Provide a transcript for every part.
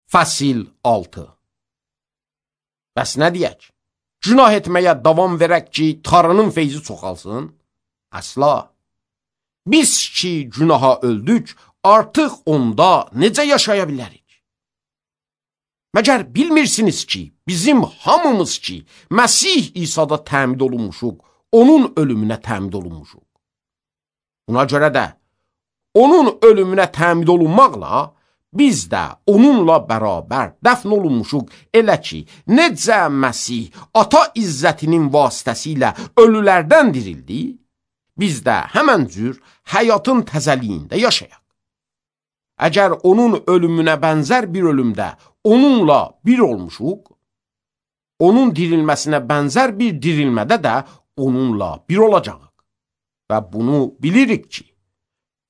Fəsil 6. Bəs nə deyək? Günah etməyə davam verək ki, Tanrının feyzi çoxalsın? Əsla. Biz ki, günaha öldük, artıq onda necə yaşaya bilərik? Məgər bilmirsiniz ki, bizim hamımız ki, Məsih İsa'da təmid olunmuşuq, onun ölümünə təmid olunmuşuq. Buna görə də, onun ölümünə təmid olunmaqla, biz də onunla bərabər dəfn olunmuşuq, elə ki, necə Məsih ata izzətinin vasitəsilə ölülərdən dirildi, biz də həmən cür həyatın təzəliyində yaşayaq. Əgər onun ölümünə bənzər bir ölümdə onunla bir olmuşuq, onun dirilməsinə bənzər bir dirilmədə də onunla bir olacaq. Və bunu bilirik ki,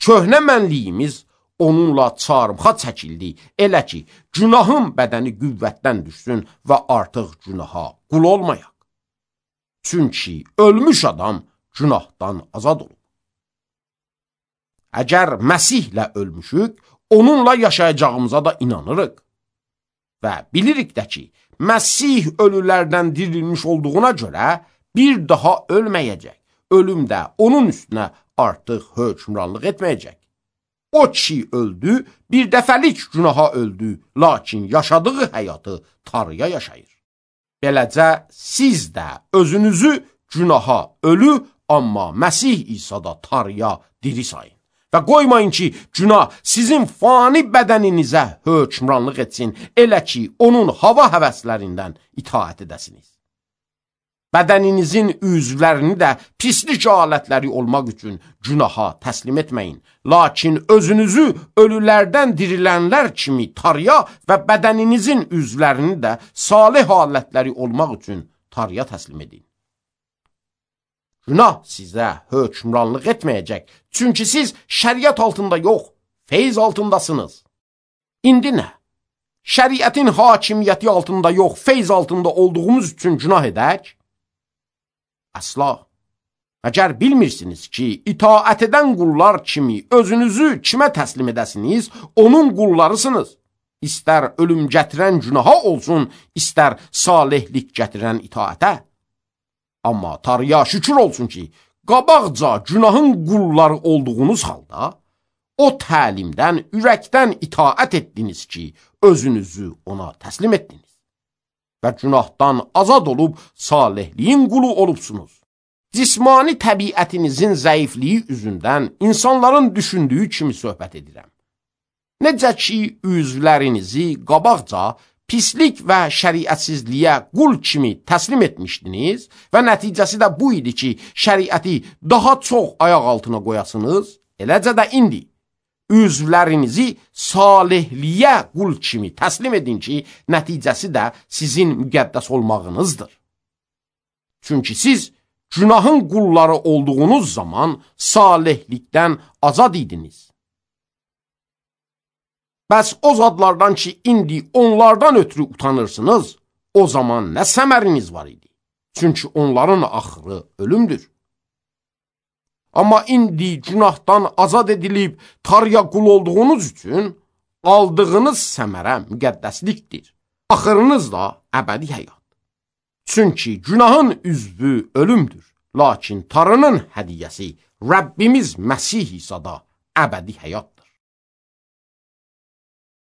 köhnə mənliyimiz onunla çarmıxa çəkildi, elə ki, günahın bədəni qüvvətdən düşsün və artıq günaha qul olmayaq. Çünki ölmüş adam günahdan azad olub. Əgər Məsihlə ölmüşük, onunla yaşayacağımıza da inanırıq. Və bilirik də ki, Məsih ölülərdən dirilmiş olduğuna görə bir daha ölməyəcək. Ölüm də onun üstünə artıq hökmranlıq etməyəcək. O ki öldü, bir dəfəlik günaha öldü, lakin yaşadığı həyatı Tanrıya yaşayır. Beləcə siz də özünüzü günaha ölü, amma Məsih İsa'da Tanrıya diri sayın. Və qoymayın ki, günah sizin fani bədəninizə hökmranlıq etsin, elə ki, onun hava həvəslərindən itaət edəsiniz. Bədəninizin üzvlərini də pislik alətləri olmaq üçün günaha təslim etməyin. Lakin özünüzü ölülərdən dirilənlər kimi Tanrıya və bədəninizin üzvlərini də salih alətləri olmaq üçün Tanrıya təslim edin. Günah sizə hökmranlıq etməyəcək, çünki siz şəriət altında yox, feyz altındasınız. İndi nə? Şəriətin hakimiyyəti altında yox, feyz altında olduğumuz üçün günah edək? Əsla. Əgər bilmirsiniz ki, itaət edən qullar kimi özünüzü kimə təslim edəsiniz, onun qullarısınız. İstər ölüm gətirən günaha olsun, istər salihlik gətirən itaətə. Amma Tanrıya şükür olsun ki, qabaqca günahın qulları olduğunuz halda, o təlimdən, ürəkdən itaət etdiniz ki, özünüzü ona təslim etdiniz. Və günahdan azad olub, salihliyin qulu olubsunuz. Cismani təbiətinizin zəifliyi üzündən insanların düşündüyü kimi söhbət edirəm. Necə ki, üzvlərinizi qabaqca pislik və şəriətsizliyə qul kimi təslim etmişdiniz və nəticəsi də bu idi ki, şəriəti daha çox ayaq altına qoyasınız, eləcə də indi üzvlərinizi salihliyə qul kimi təslim edin ki, nəticəsi də sizin müqəddəs olmağınızdır. Çünki siz günahın qulları olduğunuz zaman salihlikdən azad idiniz. Bəs o zadlardan ki, indi onlardan ötürü utanırsınız, o zaman nə səməriniz var idi? Çünki onların axırı ölümdür. Amma indi günahdan azad edilib Tanrıya qul olduğunuz üçün aldığınız səmərə müqəddəslikdir. Axırınız da əbədi həyat. Çünki günahın üzvü ölümdür. Lakin Tanrının hədiyyəsi Rəbbimiz Məsih İsa'da əbədi həyatdır.